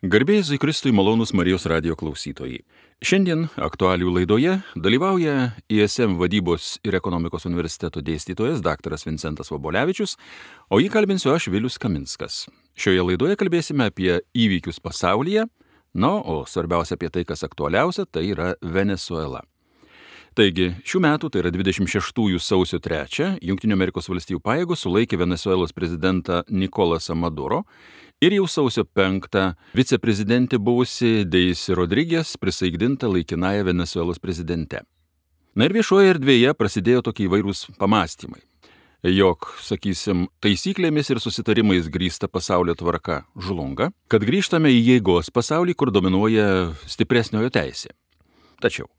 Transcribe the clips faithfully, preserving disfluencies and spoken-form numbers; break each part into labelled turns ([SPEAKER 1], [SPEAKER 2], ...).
[SPEAKER 1] Garbė Jėzui Kristui, malonūs Marijos radijo klausytojai. Šiandien aktualijų laidoje dalyvauja I S M vadybos ir ekonomikos universiteto dėstytojas daktaras Vincentas Vobolevičius, o jį kalbinsiu aš, Vilius Kaminskas. Šioje laidoje kalbėsime apie įvykius pasaulyje, na, o svarbiausia apie tai, kas aktualiausia, tai yra Venesuela. Taigi, šių metų, tai yra dvidešimt šeštųjų sausio trečią, Jungtinių Amerikos valstijų pajėgos sulaikė Venesuelos prezidentą Nikolasą Maduro ir jau sausio penktą viceprezidentė buvusi Deisy Rodriguez prisaikdinta laikinąja Venesuelos prezidente. Na ir viešoje erdvėje prasidėjo tokie įvairūs pamąstymai, jog, sakysim, taisyklėmis ir susitarimais grįsta pasaulio tvarka žlunga, kad grįžtame į jėgos pasaulį, kur dominuoja stipresniojo teisė. Tačiau,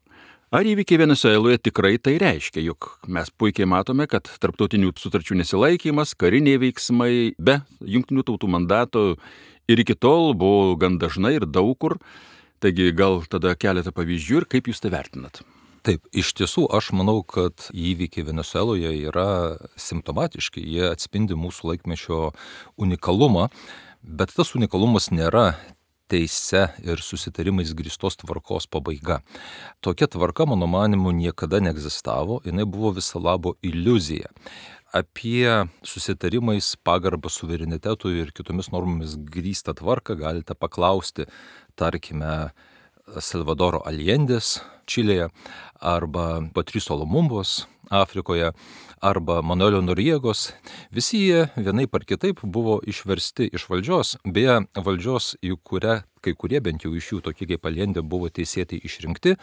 [SPEAKER 1] ar įvykiai Venesueloje tikrai tai reiškia, jog mes puikiai matome, kad tarptautinių sutarčių nesilaikymas, kariniai veiksmai be jungtinių tautų mandato ir iki tol buvo gan dažnai ir daug kur. Taigi gal tada keletą pavyzdžių ir kaip jūs tai vertinat?
[SPEAKER 2] Taip, iš tiesų aš manau, kad įvykiai Venesueloje yra simptomatiški, jie atspindi mūsų laikmečio unikalumą, bet tas unikalumas nėra teise ir susitarimais grįstos tvarkos pabaiga. Tokia tvarka, mano manimu, niekada neegzistavo, jinai buvo viso labo iliuzija. Apie susitarimais pagarbą suverenitetui ir kitomis normomis grįstą tvarką galite paklausti, tarkime, Salvadoro Allendės Čilėje, arba Patriso Lumumbos Afrikoje, arba Manuelio Noriegos. Visi jie vienaip ar kitaip buvo išversti iš valdžios, beje, valdžios, į kurią kai kurie, bent jau iš jų, tokie kaip Allendė, buvo teisėtai išrinkti,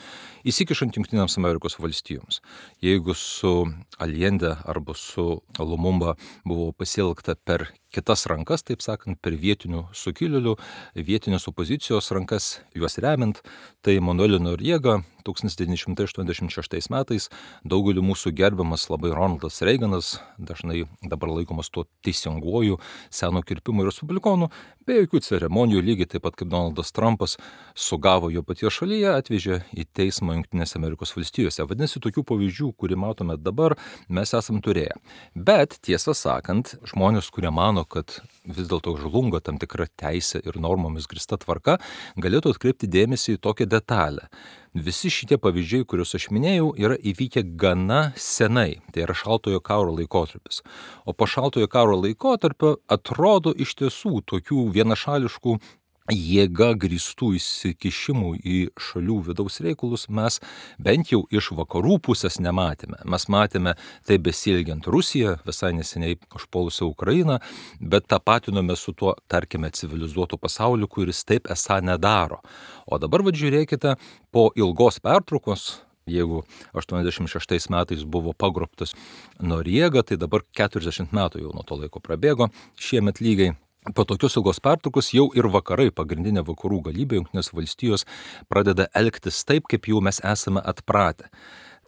[SPEAKER 2] įsikišant Jungtinėms Amerikos valstijoms. Jeigu su Allendė arba su Lumumba buvo pasielgta per kitas rankas, taip sakant, per vietinių sukilėlių, vietinės opozicijos rankas, juos remiant, tai Manuelio Noriega tūkstantis devyni šimtai aštuoniasdešimt šeštais metais daugeliu mūsų gerbiamas labai Ronaldas Reiganas, dažnai dabar laikomas tuo teisinguoju seno kirpimo respublikonu, be jokių ceremonijų, lygiai taip pat kaip Donaldas Trumpas sugavo jo paties šalyje, atvežė į teismą Jungtinėse Amerikos valstijose. Vadinasi, tokių pavyzdžių, kurį matome dabar, mes esam turėję. Bet tiesą sakant, žmonės, kurie mano, kad vis dėlto žlunga tam tikra teisė ir normomis grįsta tvarka, galėtų atkreipti dėmesį į tokią detalę. Visi šitie pavyzdžiai, kuriuos aš minėjau, yra įvykę gana senai, tai yra šaltojo karo laikotarpis. O po šaltojo karo laikotarpio atrodo iš tiesų tokių vienašališkų jėga grįstų įsikišimų į šalių vidaus reikalus mes bent jau iš vakarų pusės nematėme. Mes matėme tai besielgiant Rusiją, visai neseniai užpuolusią Ukrainą, bet tapatinome su tuo, tarkime, civilizuotų pasauliu, kuris taip esą nedaro. O dabar, vad žiūrėkite, po ilgos pertraukos, jeigu aštuoniasdešimt šeštais metais buvo pagrobtas Noriega, tai dabar keturiasdešimt metų jau nuo to laiko prabėgo, šiemet lygiai. Po tokios ilgos pertraukos jau ir vakarai, pagrindinė vakarų galybė, Jungtinės valstijos, pradeda elgtis taip, kaip jau mes esame atpratę.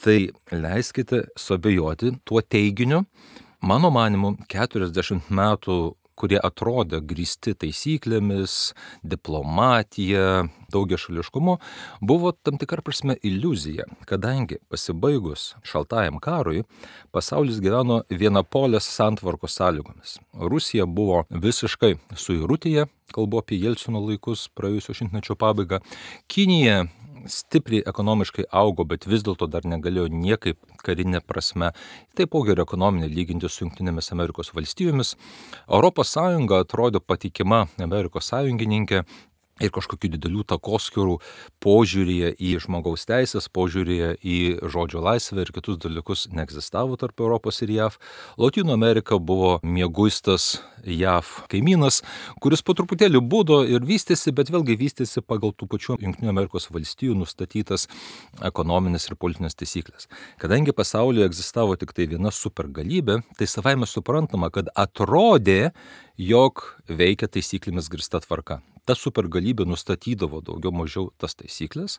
[SPEAKER 2] Tai leiskite suabejoti tuo teiginiu. Mano manimu, keturiasdešimt metų, kurie atrodė grįsti taisyklėmis, diplomatija, daugiašališkumu, buvo tam tikra prasme iliuzija, kadangi pasibaigus šaltajam karui, pasaulis gyveno vienapolės santvarkos sąlygomis. Rusija buvo visiškai suirutėje, kalbu apie Jelcino laikus, praėjusio šimtmečio pabaigą. Kinija stipriai ekonomiškai augo, bet vis dėlto dar negalėjo niekaip karinė prasme, taipogi ir ekonominė lyginti su Jungtinėmis Amerikos valstijomis. Europos Sąjunga atrodė patikima Amerikos sąjungininkė ir kažkokių didelių takoskyrų požiūrėje į žmogaus teisės, požiūrėje į žodžio laisvę ir kitus dalykus neegzistavo tarp Europos ir J A V. Lotynų Amerika buvo mieguistas J A V kaimynas, kuris po truputėlį budo ir vystėsi, bet vėlgi vystėsi pagal tų pačių Jungtinių Amerikos valstijų nustatytas ekonominės ir politinės taisyklės. Kadangi pasaulyje egzistavo tik tai viena supergalybė, tai savaime suprantama, kad atrodė, jog veikia taisyklėmis grįsta tvarka. Ta supergalybė nustatydavo daugiau mažiau tas taisyklės,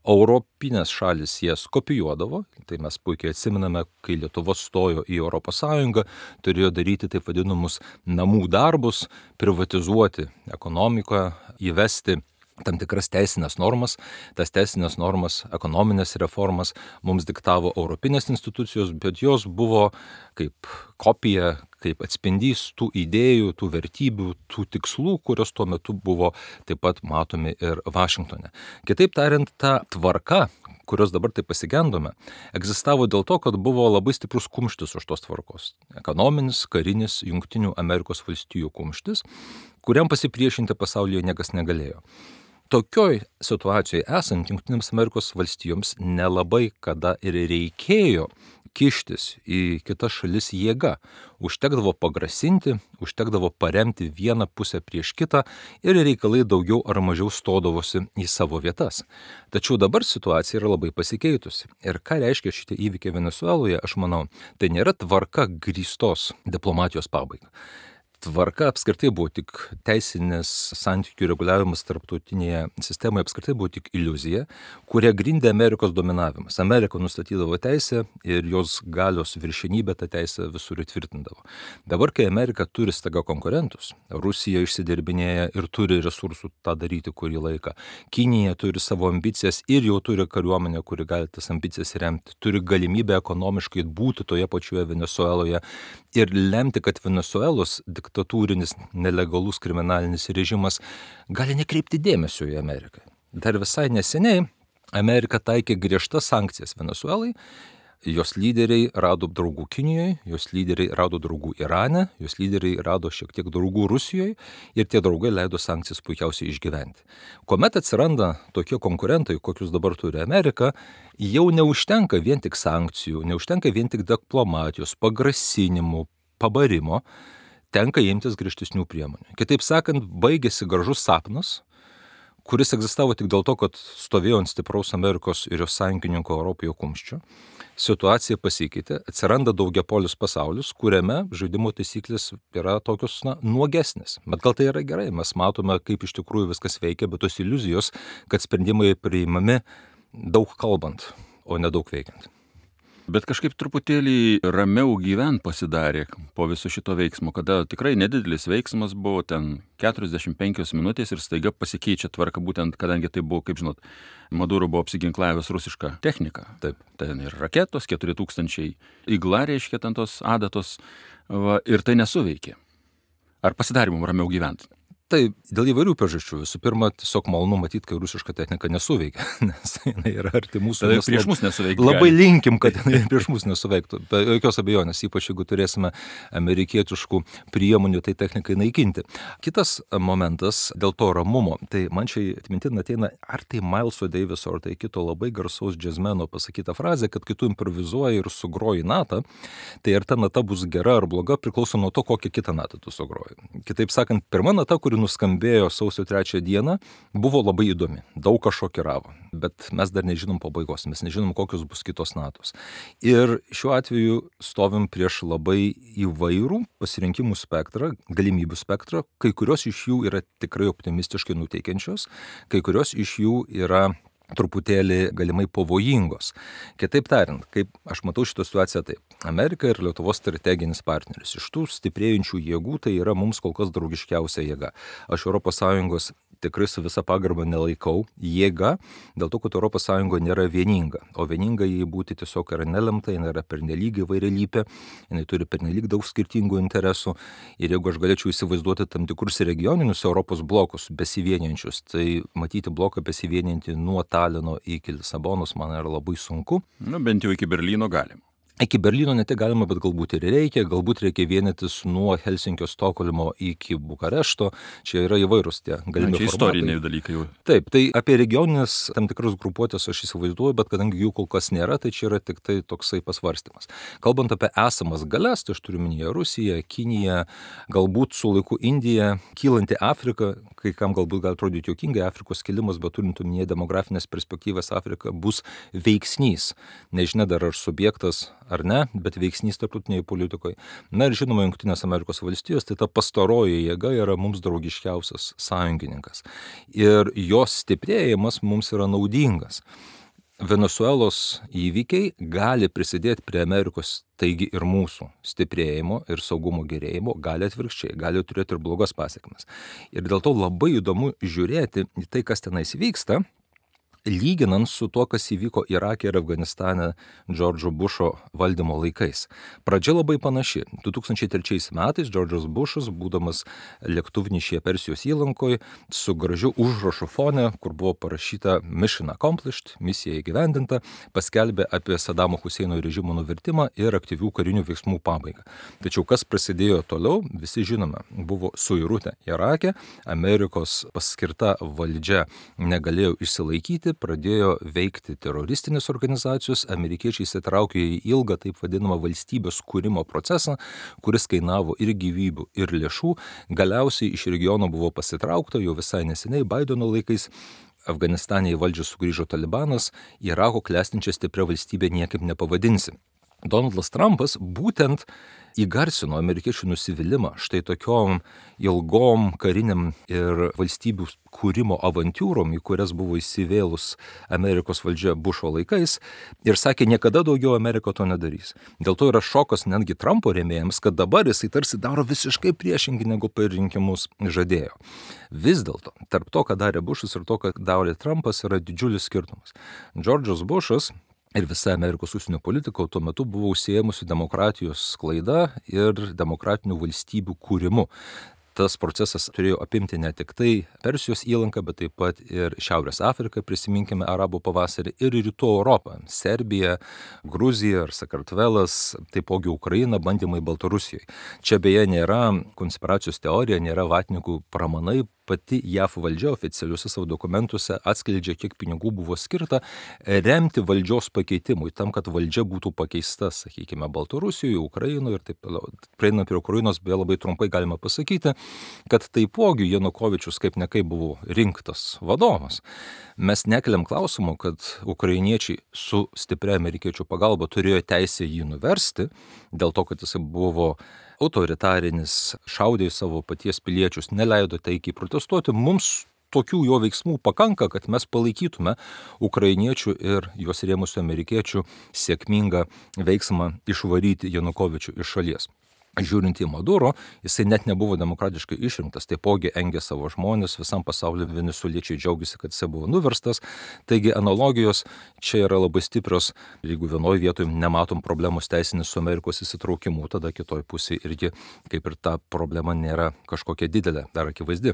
[SPEAKER 2] europinės šalis jas kopijuodavo, tai mes puikiai atsimename, kai Lietuva stojo į Europos Sąjungą, turėjo daryti taip vadinamus namų darbus, privatizuoti ekonomiką, įvesti tam tikras teisinės normas, tas teisinės normas, ekonominės reformas mums diktavo europinės institucijos, bet jos buvo kaip kopija, kaip atspindys tų idėjų, tų vertybių, tų tikslų, kurios tuo metu buvo taip pat matomi ir Vašingtone. Kitaip tariant, ta tvarka, kurios dabar taip pasigendome, egzistavo dėl to, kad buvo labai stiprus kumštis už tos tvarkos. Ekonominis, karinis, Jungtinių Amerikos valstijų kumštis, kuriam pasipriešinti pasaulyje niekas negalėjo. Tokioj situacijoje esant Jungtinėms Amerikos valstijoms nelabai kada ir reikėjo kištis į kitas šalis jėga. Užtekdavo pagrasinti, užtekdavo paremti vieną pusę prieš kitą ir reikalai daugiau ar mažiau stodavosi į savo vietas. Tačiau dabar situacija yra labai pasikeitusi. Ir ką reiškia šitie įvykiai Venesueloje, aš manau, tai nėra tvarka grįstos diplomatijos pabaiga. Tvarka apskritai buvo tik teisinės santykių reguliavimas tarptautinėje sistemoje, apskritai buvo tik iliuzija, kuria grindė Amerikos dominavimas. Amerika nustatydavo teisę ir jos galios viršenybę tą teisę visur įtvirtindavo. Dabar, kai Amerika turi staiga konkurentus, Rusija išsidirbinėja ir turi resursų tą daryti kurį laiką, Kinija turi savo ambicijas ir jau turi kariuomenę, kuri gali tas ambicijas remti, turi galimybę ekonomiškai būti toje pačioje Venesueloje ir lemti, kad Venesuelos diktatūrinis, nelegalus kriminalinis režimas gali nekreipti dėmesio į Ameriką. Dar visai neseniai Amerika taikė griežtas sankcijas Venesuelai, jos lyderiai rado draugų Kinijoje, jos lyderiai rado draugų Irane, jos lyderiai rado šiek tiek draugų Rusijoje ir tie draugai leido sankcijas puikiausiai išgyventi. Kuomet atsiranda tokie konkurentai, kokius dabar turi Amerika, jau neužtenka vien tik sankcijų, neužtenka vien tik diplomatijos, pagrasinimų, pabarimo, tenka imtis griežtesnių priemonių. Kitaip sakant, baigėsi gražus sapnas, kuris egzistavo tik dėl to, kad stovėjo ant stipraus Amerikos ir jos sąjungininko Europoje kumščio. Situacija pasikeitė, atsiranda daugiapolis pasaulis, kuriame žaidimo taisyklės yra tokios na, nuogesnės. Bet gal tai yra gerai, mes matome, kaip iš tikrųjų viskas veikia, bet tos iliuzijos, kad sprendimai priimami daug kalbant, o ne daug veikiant.
[SPEAKER 1] Bet kažkaip truputėlį ramiau gyvent pasidarė po viso šito veiksmo, kada tikrai nedidelis veiksmas buvo ten keturiasdešimt penkios minutės ir staiga pasikeičia tvarka, būtent kadangi tai buvo, kaip žinot, Maduro buvo apsiginklavęs rusišką techniką.
[SPEAKER 2] Taip.
[SPEAKER 1] Ten ir raketos, keturi tūkstančiai igla, reiškia ten tos adatos, va, ir tai nesuveikė. Ar pasidarė mums ramiau gyvent?
[SPEAKER 2] Tai dėl įvairių priežasčių. Visų pirma, tiesiog malonu matyti, kai rusiška technika nesuveikia, nes jinai yra arti mūsų.
[SPEAKER 1] Tai prieš mus nesuveikia.
[SPEAKER 2] Labai linkim, kad jinai prieš mus nesuveiktų. Be jokios abejonės, ypač jeigu turėsime amerikietiškų priemonių tai technikai naikinti. Kitas momentas dėl to ramumo, tai man čia atmintin ateina ar tai Mileso Daviso, ar tai kito labai garsaus džiazmeno pasakyta frazė, kad kai tu improvizuoji ir sugroji natą, tai ar ta nata bus gera ar bloga priklauso nuo to, kokią kitą natą tu sugroji. Kitaip sakant, pirma nata, kuri nuskambėjo sausio trečią dieną, buvo labai įdomi, daug ką šokiravo, bet mes dar nežinom pabaigos, mes nežinom, kokios bus kitos natos. Ir šiuo atveju stovim prieš labai įvairų pasirinkimų spektrą, galimybių spektrą, kai kurios iš jų yra tikrai optimistiškai nuteikiančios, kai kurios iš jų yra truputėlį galimai pavojingos. Kitaip tariant, kaip aš matau šitą situaciją taip. Amerika ir Lietuvos strateginis partneris. Iš tų stiprėjančių jėgų tai yra mums kol kas draugiškiausia jėga. Aš Europos Sąjungos tikrai su visa pagarba nelaikau jėga, dėl to, kad Europos Sąjunga nėra vieninga. O vieninga jį būti tiesiog yra nelemta, jinai yra pernelyg įvairialypė, jinai turi pernelyg daug skirtingų interesų. Ir jeigu aš galėčiau įsivaizduoti tam tikrus regioninius Europos blokus besivieniančius, tai matyti bloką besivieniantį nuo Talino iki Lisabonos man yra labai sunku.
[SPEAKER 1] Nu, bent jau iki Berlyno galim.
[SPEAKER 2] Iki Berlyno ne tik galima, bet galbūt ir reikia, galbūt reikia vienytis nuo Helsinkio, Stokholmo iki Bukarešto, čia yra įvairūs tie galimi
[SPEAKER 1] čia
[SPEAKER 2] formatai.
[SPEAKER 1] Istoriniai dalykai jau.
[SPEAKER 2] Taip, tai apie regioninės tam tikras grupuotės aš įsivaizduoju, bet kadangi jų kol kas nėra, tai čia yra tik tai toksai pasvarstymas. Kalbant apie esamas galias, tai aš turiu minėję Rusiją, Kiniją, galbūt su laiku Indija, kylanti Afrika, kai kam galbūt gali atrodyti juokingai, Afrikos kilimas, bet turint omenyje demografinės perspektyvas, Afrika bus veiksnys. Nežinia dar ar subjektas ar ne, bet veiksnys tarptautiniai politikoje. Na ir žinoma, Jungtinės Amerikos valstijos, tai ta pastaroji jėga yra mums draugiškiausias sąjungininkas. Ir jos stiprėjimas mums yra naudingas. Venesuelos įvykiai gali prisidėti prie Amerikos, taigi ir mūsų stiprėjimo ir saugumo gerėjimo, gali atvirkščiai, gali turėti ir blogas pasiekmes. Ir dėl to labai įdomu žiūrėti į tai, kas tenais vyksta, lyginant su to, kas įvyko Irake ir Afganistane Džordžo Bušo valdymo laikais. Pradžia labai panaši. du tūkstančiai trečiais metais Džordžas Bušas, būdamas lėktuvnešyje Persijos įlankoje, su gražiu užrašu fone, kur buvo parašyta Mission Accomplished, misija įgyvendinta, paskelbė apie Sadamo Huseino režimo nuvertimą ir aktyvių karinių veiksmų pabaigą. Tačiau kas prasidėjo toliau, visi žinome, buvo suirutė Irake, Amerikos paskirta valdžia negalėjo išsilaikyti, pradėjo veikti teroristinės organizacijos, amerikiečiai įsitraukė į ilgą taip vadinamą valstybės kūrimo procesą, kuris kainavo ir gyvybių, ir lėšų. Galiausiai iš regiono buvo pasitraukta, jau visai neseniai Baideno laikais. Afganistane į valdžią sugrįžo Talibanas, Irako klestinčią stiprią valstybę niekaip nepavadinsi. Donaldas Trumpas būtent įgarsino amerikiečių nusivylimą štai tokiom ilgom kariniam ir valstybių kūrimo avantūrom, į kurias buvo įsivėlus Amerikos valdžia Bušo laikais, ir sakė, niekada daugiau Amerika to nedarys. Dėl to yra šokas netgi Trumpo rėmėjams, kad dabar jisai tarsi daro visiškai priešingai, negu per rinkimus žadėjo. Vis dėlto, tarp to, ką darė Bušas ir to, ką darė Trumpas, yra didžiulis skirtumas. Džordžas Bušas ir visa Amerikos užsienio politika tuo metu buvo užsiėmusi demokratijos sklaida ir demokratinių valstybių kūrimu. Tas procesas turėjo apimti ne tik tai Persijos įlanką, bet taip pat ir Šiaurės Afriką, prisiminkime Arabų pavasarį, ir Rytų Europą, Serbija, Gruzija ar Sakartvelas, taipogi Ukraina, bandymai Baltarusijoje. Čia beje nėra konspiracijos teorija, nėra vatnikų pramanai, pati J A F valdžia oficialiuose savo dokumentuose atskleidžia, kiek pinigų buvo skirta remti valdžios pakeitimui, tam, kad valdžia būtų pakeista, sakykime, Baltarusijoje, Ukrainoje ir taip toliau. Prieinant prie Ukrainos, beje, labai trumpai galima pasakyti, kad taipogi Janukovičius kaip nekaip buvo rinktas vadovas. Mes nekeliam klausimų, kad ukrainiečiai su stipria amerikiečių pagalba turėjo teisę jį nuversti, dėl to, kad jis buvo autoritarinis, šaudė į savo paties piliečius, neleido taikiai protestuoti. Mums tokių jo veiksmų pakanka, kad mes palaikytume ukrainiečių ir juos rėmusių amerikiečių sėkmingą veiksmą išvaryti Janukovičių iš šalies. Žiūrint į Maduro, jisai net nebuvo demokratiškai išrinktas, taipogi engė savo žmonės, visam pasauliu venesueliečiai džiaugiasi, kad jisai buvo nuverstas. Taigi analogijos čia yra labai stiprios. Jeigu vienoje vietoje nematom problemos teisinis su Amerikos įsitraukimu, tada kitoje pusėje irgi kaip ir ta problema nėra kažkokia didelė, dar akivaizdi.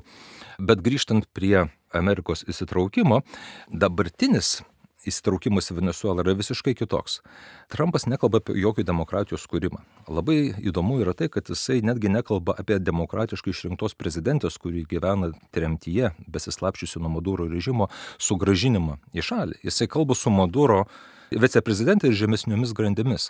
[SPEAKER 2] Bet grįžtant prie Amerikos įsitraukimo, dabartinis įsitraukimas į Venesuelą yra visiškai kitoks. Trumpas nekalba apie jokį demokratijos kūrimą. Labai įdomu yra tai, kad jisai netgi nekalba apie demokratiškai išrinktos prezidentės, kuri gyvena tremtyje, besislapčiusi nuo Maduro režimo, sugrąžinimą į šalį. Jisai kalba su Maduro viceprezidentė ir žemesniomis grandimis.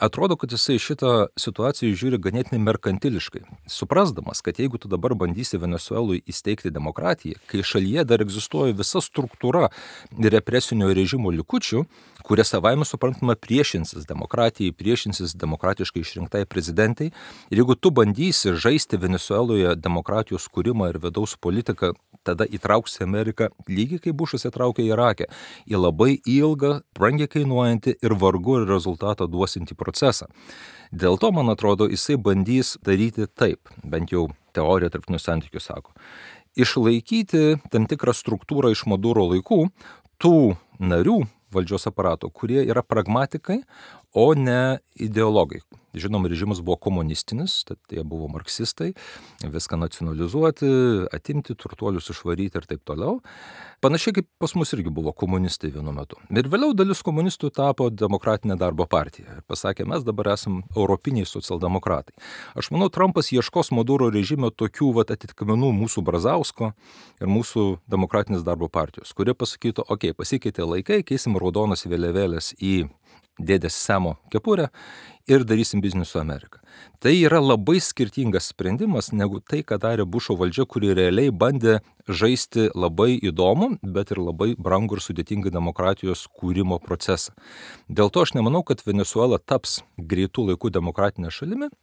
[SPEAKER 2] Atrodo, kad jisai šitą situaciją žiūri ganėtinai merkantiliškai, suprasdamas, kad jeigu tu dabar bandysi Venesuelui įsteigti demokratiją, kai šalyje dar egzistuoja visa struktūra represinio režimo likučių, kurie savaime suprantama priešinsis demokratijai, priešinsis demokratiškai išrinktai prezidentai, ir jeigu tu bandysi žaisti Venesueloje demokratijos kūrimą ir vidaus politiką, tada įtrauksi Ameriką, lygiai kaip Bušas įtraukė Irakę, į labai ilgą, brangiai kainuojantį ir vargu ir rezultatą duosintį procesą. Dėl to, man atrodo, jisai bandys daryti taip, bent jau teorija tarptautinių santykių sako, išlaikyti tam tikrą struktūrą iš Maduro laikų, tų narių valdžios aparato, kurie yra pragmatikai, o ne ideologai. Žinom, režimas buvo komunistinis, tad jie buvo marksistai, viską nacionalizuoti, atimti, turtuolius išvaryti ir taip toliau. Panašiai kaip pas mus irgi buvo komunistai vienu metu. Ir vėliau dalis komunistų tapo Demokratinė darbo partija. Ir pasakė, mes dabar esam europiniai socialdemokratai. Aš manau, Trumpas ieškos Maduro režime tokių vat, atitikmenų mūsų Brazausko ir mūsų Demokratinės darbo partijos, kurie pasakytų, okei, okay, pasikeitė laikai, keisim raudonas vėliavėlės į dėdės Semo kepurę ir darysim biznį su Amerika. Tai yra labai skirtingas sprendimas negu tai, ką darė Bušo valdžia, kuri realiai bandė žaisti labai įdomų, bet ir labai brangų ir sudėtingą demokratijos kūrimo procesą. Dėl to aš nemanau, kad Venesuela taps greitų laikų demokratinė šalimi,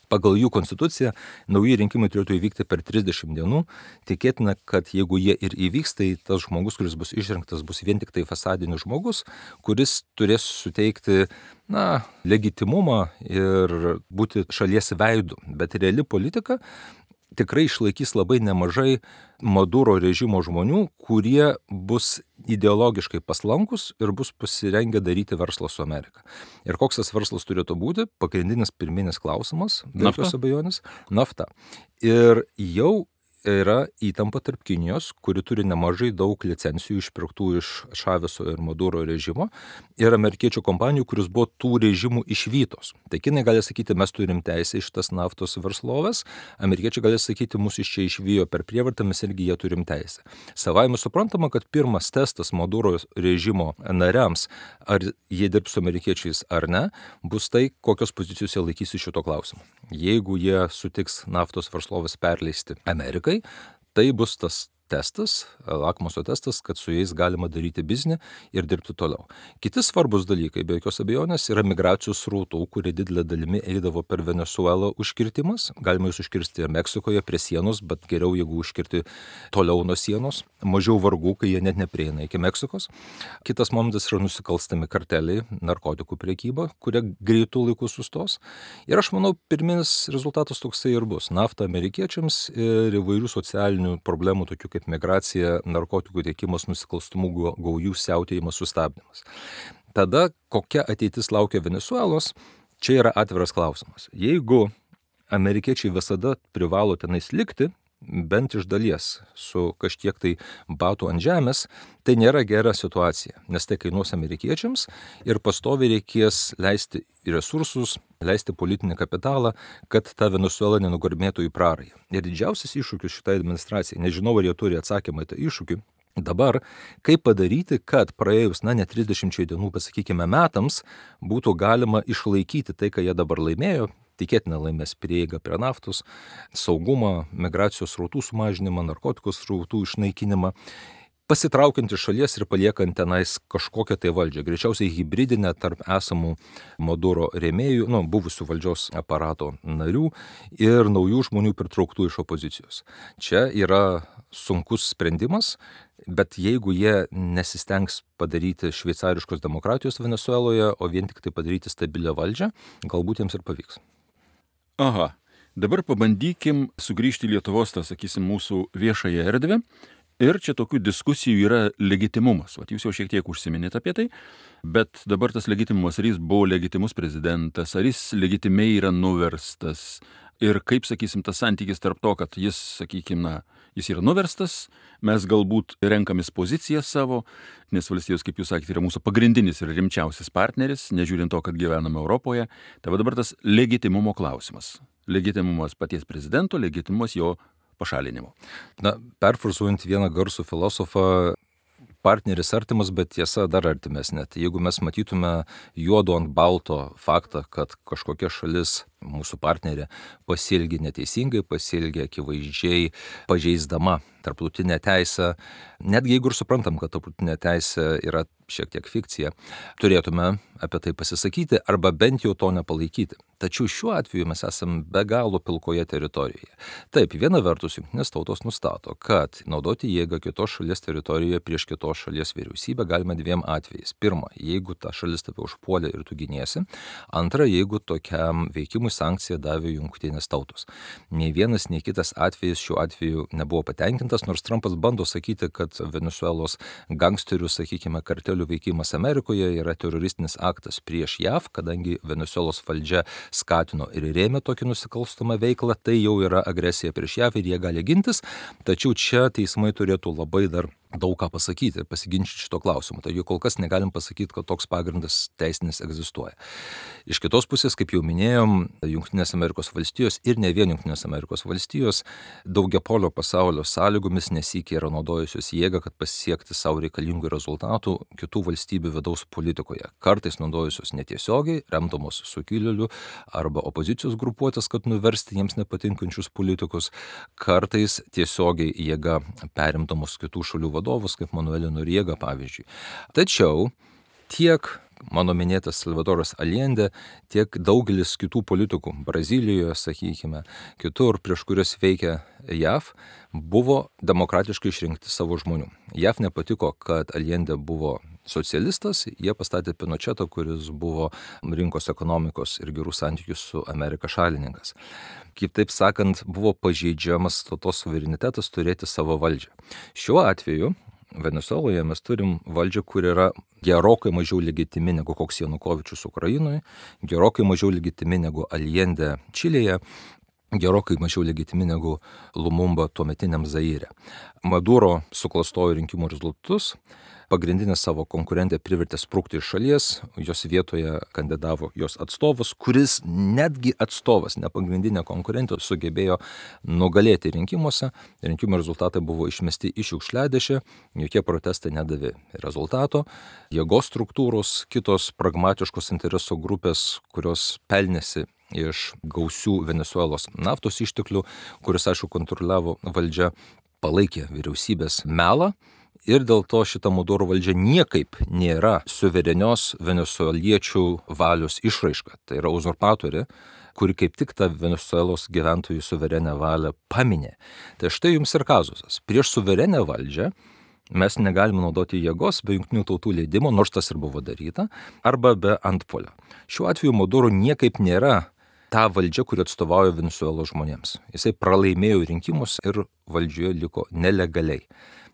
[SPEAKER 2] Pagal jų konstituciją nauji rinkimai turėtų įvykti per trisdešimt dienų. Tikėtina, kad jeigu jie ir įvyks, tai tas žmogus, kuris bus išrinktas, bus vien tik tai fasadinis žmogus, kuris turės suteikti, na, legitimumą ir būti šalies veidu. Bet reali politika tikrai išlaikys labai nemažai Maduro režimo žmonių, kurie bus ideologiškai paslankus ir bus pasirengę daryti verslą su Amerika. Ir koks tas verslas turėtų būti? Pagrindinis pirminis klausimas, be jokios abejonės, nafta. Ir jau yra įtampa tarp Kinijos, kuri turi nemažai daug licencijų išpirktų iš Šaveso ir Maduro režimo, ir amerikiečių kompanijų, kuris buvo tų režimų išvytos. Tai kinai gali sakyti, mes turim teisę iš tas naftos verslovės, amerikiečiai gali sakyti, mus iš čia išvijo per prievartą, mes irgi jie turim teisę. Savaime suprantama, kad pirmas testas Maduro režimo nariams, ar jie dirbs su amerikiečiais ar ne, bus tai, kokios pozicijos jie laikysi šito klausimu. Jeigu jie sutiks naftos verslovės perleisti Amerikai, tai bus tas testas, lakmuso testas, kad su jais galima daryti biznį ir dirbti toliau. Kiti svarbus dalykai, be jokios abejonės, yra migracijos srautų, kurie didelė dalimi eidavo per Venesuelą užkirtimas. Galima jūs užkirsti ir Meksikoje prie sienos, bet geriau, jeigu užkirti toliau nuo sienos. Mažiau vargų, kai jie net neprieina iki Meksikos. Kitas momentas yra nusikalstami karteliai, narkotikų prekyba, kurie greitų laikų sustos. Ir aš manau, pirminis rezultatas toksai ir bus. Nafta amerikiečiams ir įvairių socialinių problemų, tokių kaip kaip migracija, narkotikų tiekimas, nusikalstamų gaujų siautėjimas, sustabdymas. Tada kokia ateitis laukia Venesuelos, čia yra atviras klausimas. Jeigu amerikiečiai visada privalo tenais likti, bent iš dalies, su kažkiek tai batų ant žemės, tai nėra gera situacija, nes tai kainuos amerikiečiams ir pastoviai reikės leisti resursus, leisti politinį kapitalą, kad ta Venesuela nenugurmėtų į prarąją. Ir didžiausias iššūkis šitai administracijai, nežinau, ar jie turi atsakymą į tą iššūkį, dabar, kaip padaryti, kad praėjus, na, ne trisdešimčiai dienų, pasakykime, metams, būtų galima išlaikyti tai, ką jie dabar laimėjo, tikėtina laimės prieigą prie naftos, saugumą, migracijos srautų sumažinimą, narkotikos srautų išnaikinimą, pasitraukiant iš šalies ir paliekant tenais kažkokią tai valdžią, greičiausiai hibridinę tarp esamų Maduro rėmėjų, nu, buvusių valdžios aparato narių ir naujų žmonių pritrauktų iš opozicijos. Čia yra sunkus sprendimas, bet jeigu jie nesistengs padaryti šveicariškos demokratijos Venesueloje, o vien tik tai padaryti stabilią valdžią, galbūt jiems ir pavyks.
[SPEAKER 1] Aha, dabar pabandykim sugrįžti į Lietuvos, tą, sakysim, mūsų viešąją erdvę. Ir čia tokių diskusijų yra legitimumas. Vat jūs jau šiek tiek užsiminėte apie tai, bet dabar tas legitimumas, ar jis buvo legitimus prezidentas, ar jis legitimiai yra nuverstas. Ir kaip, sakysim, tas santykis tarp to, kad jis, sakykim, na, jis yra nuverstas, mes galbūt renkamės poziciją savo, nes valstijos, kaip jūs sakėte, yra mūsų pagrindinis ir rimčiausias partneris, nežiūrint to, kad gyvename Europoje. Tai va dabar tas legitimumo klausimas. Legitimumas paties prezidento, legitimumas jo pašalinimo.
[SPEAKER 2] Na, perfrazuojant vieną garsų filosofą, partneris artimas, bet tiesa dar artimesnė. Tai jeigu mes matytume juodo ant balto faktą, kad kažkokia šalis, mūsų partnerė, pasielgė neteisingai, pasielgė akivaizdžiai pažeisdama tarptautinę teisę, netgi jeigu ir suprantam, kad tarptautinė teisė yra šiek tiek fikcija, turėtume apie tai pasisakyti arba bent jau to nepalaikyti. Tačiau šiuo atveju mes esame be galo pilkoje teritorijoje. Taip, viena vertus, jungtinės tautos nustato, kad naudoti jėgą kitos šalies teritorijoje prieš kitos šalies vyriausybę galima dviem atvejais. Pirma, jeigu ta šalis tave užpuolė ir tu giniesi. Antra, jeigu tokiam veikimui sankciją davė jungtinės tautos. Nei vienas, nei kitas atvejis šiuo atveju nebuvo patenkintas, nors Trumpas bando sakyti, kad Venesuelos gangsterių, sakykime, kartelių veikimas Amerikoje yra teroristinis aktas prieš J A V, kadangi Venesuelos valdžia skatino ir rėmė tokį nusikalstamą veiklą, tai jau yra agresija prieš J A V ir jie gali gintis, tačiau čia teismai turėtų labai dar daug ką pasakyti ir pasiginčyti šito klausimu. Taigi kol kas negalim pasakyti, kad toks pagrindas teisinis egzistuoja. Iš kitos pusės, kaip jau minėjom, Jungtinės Amerikos valstijos ir ne vien Jungtinės Amerikos valstijos daugiapolio pasaulio sąlygomis nesykį yra naudojusios jėgą, kad pasiekti savo reikalingų rezultatų kitų valstybių vidaus politikoje. Kartais naudojusios netiesiogiai, remdamos sukilėlių arba opozicijos grupuotės, kad nuversti jiems nepatinkančius politikus, kartais tiesiogiai jėga perimdamos kitų šalių vadovus, kaip Manuelį Noriegą, pavyzdžiui. Tačiau tiek mano minėtas Salvadoras Allende, tiek daugelis kitų politikų, Brazilijoje, sakykime, kitur, prieš kurias veikia J A V, buvo demokratiškai išrinkti savo žmonių. J A V nepatiko, kad Allende buvo socialistas, jie pastatė Pinochetą, kuris buvo rinkos ekonomikos ir gerų santykių su Amerika šalininkas. Kitaip sakant, buvo pažeidžiamas tautos suverenitetas turėti savo valdžią. Šiuo atveju Venesueloje mes turim valdžią, kur yra gerokai mažiau legitimi negu koks Janukovičius Ukrainoje, gerokai mažiau legitimi negu Allende Čilėje, gerokai mažiau legitimi negu Lumumba tuometiniam Zaire. Maduro suklastojo rinkimų rezultatus, pagrindinę savo konkurentę privertė sprukti iš šalies, jos vietoje kandidavo jos atstovas, kuris netgi atstovas, ne pagrindinė konkurentė, sugebėjo nugalėti rinkimuose. Rinkimų rezultatai buvo išmesti iš šiukšliadėžę, jokie protestai nedavė rezultato. Jėgos struktūros, kitos pragmatiškos interesų grupės, kurios pelnėsi iš gausių Venesuelos naftos išteklių, kuris, aišku, kontroliavo valdžią, palaikė vyriausybės melą. Ir dėl to šita Maduro valdžia niekaip nėra suverenios venesueliečių valios išraiška. Tai yra uzurpatorė, kuri kaip tik tą Venesuelos gyventojų suverenę valią paminė. Tai štai jums ir kazusas. Prieš suverenę valdžią mes negalime naudoti jėgos be jungtinių tautų leidimo, nors tas ir buvo daryta, arba be antpolio. Šiuo atveju Maduro niekaip nėra ta valdžia, kuri atstovauja Venesuelos žmonėms. Jisai pralaimėjo rinkimus ir valdžioje liko nelegaliai.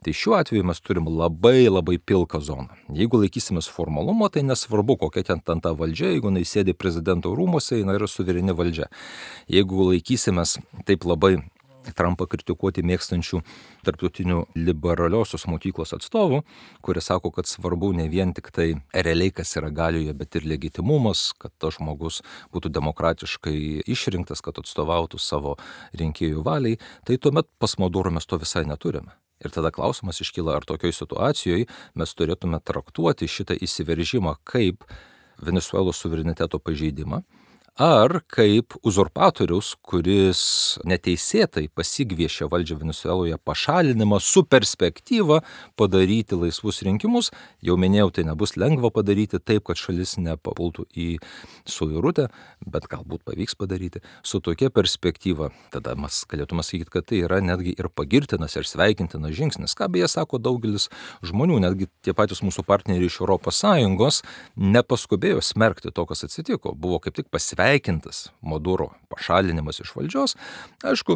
[SPEAKER 2] Tai šiuo atveju mes turim labai labai pilką zoną. Jeigu laikysimės formalumo, tai nesvarbu, kokia ten ten ta valdžia, jeigu jinai sėdi prezidento rūmuose, jinai yra suvereni valdžia. Jeigu laikysimės taip labai Trumpą kritikuoti mėgstančių tarptautinių liberaliosios mokyklos atstovų, kurie sako, kad svarbu ne vien tik tai realiai, kas yra galioje, bet ir legitimumas, kad tas žmogus būtų demokratiškai išrinktas, kad atstovautų savo rinkėjų valiai, tai tuomet pas Maduro mes to visai neturime. Ir tada klausimas iškyla, ar tokioj situacijoje mes turėtume traktuoti šitą įsiveržimą kaip Venesuelos suvereniteto pažeidimą, ar kaip uzurpatorius, kuris neteisėtai pasigviešė valdžią Venesueloje pašalinimą su perspektyva padaryti laisvus rinkimus. Jau minėjau, tai nebus lengva padaryti taip, kad šalis nepapultų į suirutę, bet galbūt pavyks padaryti. Su tokia perspektyva, tada mes galėtume sakyti, kad tai yra netgi ir pagirtinas ir sveikintinas žingsnis. Ką beje sako daugelis žmonių, netgi tie patys mūsų partneriai iš Europos Sąjungos nepaskubėjo smerkti to, kas atsitiko. Buvo kaip tik pasveikinti sveikintas Maduro pašalinimas iš valdžios, aišku,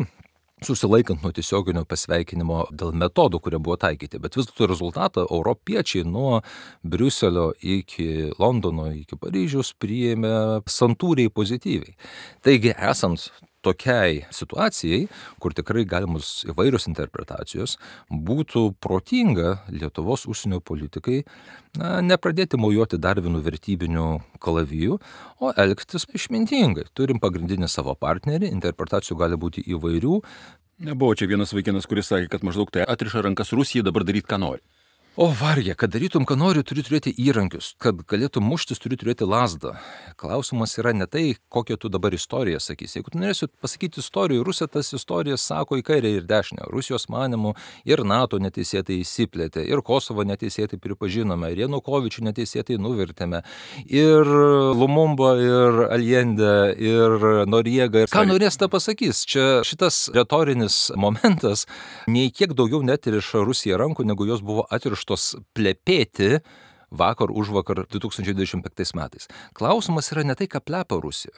[SPEAKER 2] susilaikant nuo tiesioginio pasveikinimo dėl metodų, kurie buvo taikyti, bet vis dėlto rezultatą europiečiai nuo Briuselio iki Londono, iki Paryžiaus priėmė santūriai pozityviai. Taigi, esant tokiai situacijai, kur tikrai galimos įvairios interpretacijos, būtų protinga Lietuvos užsienio politikai na, nepradėti mojuoti dar vienu vertybiniu kalaviju, o elgtis išmintingai. Turim pagrindinį savo partnerį, interpretacijų gali būti įvairių.
[SPEAKER 1] Nebuvo čia vienas vaikinas, kuris sakė, kad maždaug tai atriša rankas Rusijai dabar daryti, ką nori.
[SPEAKER 2] O vargė, kad darytum, ką nori, turi turėti įrankius, kad galėtum muštis, turi turėti lazdą. Klausimas yra ne tai, kokią tu dabar istoriją sakysi. Jeigu tu norėsi pasakyti istorijų, Rusija tas istorijas sako į kairę ir dešinę. Rusijos manimu ir NATO neteisėtai įsiplėtė, ir Kosovo neteisėtai pripažinome, ir Janukovičių neteisėtai nuvertėme, ir Lumumba, ir Allende, ir Noriega. Ir ką norės tą pasakys? Čia šitas retorinis momentas nei kiek daugiau netiriša Rusija rankų, negu jos buvo atirištos plepėti vakar už vakar du tūkstančiai dvidešimt penktais metais. Klausimas yra ne tai, ką plepa Rusija.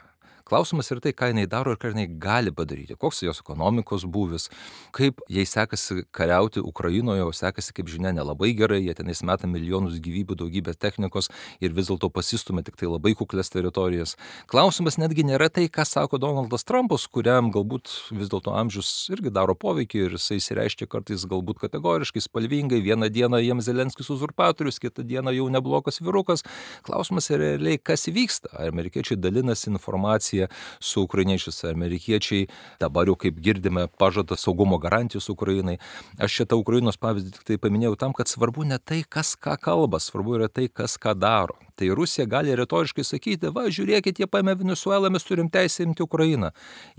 [SPEAKER 2] Klausimas yra tai, ką jinai daro ir ką jinai gali padaryti. Koks jos ekonomikos būvis, kaip jai sekasi kariauti Ukrainoje, o sekasi, kaip žinia, nelabai gerai, jie tenais meta milijonus gyvybių, daugybę technikos ir vis dėlto pasistumia tik tai labai kuklės teritorijas. Klausimas netgi nėra tai, ką sako Donaldas Trumpas, kuriam galbūt vis dėlto amžius irgi daro poveikį ir jisai įsireiškia kartais galbūt kategoriškai, spalvingai. Vieną dieną jiems Zelenskis uzurpatorius, kitą dieną jau neblogas vyrukas. Klausimas yra realiai, kas vyksta. Ar amerikiečiai dalinasi informaciją su ukrainiečiais, amerikiečiai dabar jau, kaip girdime, pažada saugumo garantijos Ukrainai. Aš šitą Ukrainos pavyzdį tik tai paminėjau tam, kad svarbu ne tai, kas ką kalba, svarbu yra tai, kas ką daro. Tai Rusija gali retoriškai sakyti, va, žiūrėkit, jie paėmė Venesuelą, mes turim teisę imti Ukrainą.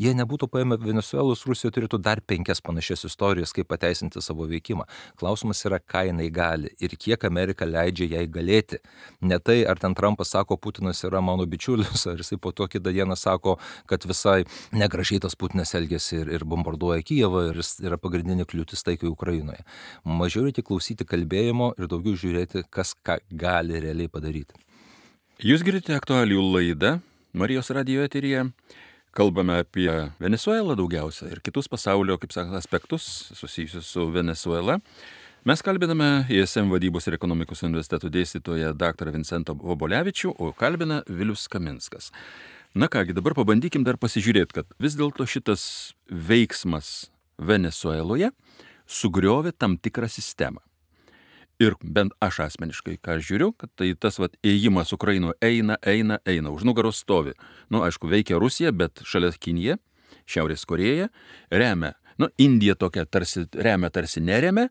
[SPEAKER 2] Jie nebūtų paėmę Venesuelos, Rusija turėtų dar penkias panašias istorijas, kaip pateisinti savo veikimą. Klausimas yra, ką jinai gali ir kiek Amerika leidžia jai galėti. Ne tai, ar ten Trumpas sako, Putinas yra mano bičiulis, ar jisai po to kitą dieną sako, kad visai negražiai tas Putinas elgėsi ir, ir bombarduoja Kijevą ir jis yra pagrindinė kliūtis taikai Ukrainoje. Mažiau reikia klausyti kalbėjimo ir daugiau žiūrėti, kas ką gali realiai padaryti.
[SPEAKER 1] Jūs girdite aktualijų laidą Marijos radijo eteryje. Kalbame apie Venesuelą daugiausia ir kitus pasaulio, kaip sakant, aspektus susijusius su Venesuela. Mes kalbiname I S M vadybos ir ekonomikos universiteto dėstytoją daktarą Vincentą Vobolevičių, o kalbina Vilius Kaminskas. Na kągi, dabar pabandykim dar pasižiūrėti, kad vis dėlto šitas veiksmas Venesueloje sugriovė tam tikrą sistemą. Ir bent aš asmeniškai, ką aš žiūriu, kad tai tas vat, ėjimas Ukrainoje eina, eina, eina, už nugaros stovi. Nu, aišku, veikia Rusija, bet šalia Kinija, Šiaurės Korėja, remia. Nu, Indija tokia tarsi remia, tarsi neremia.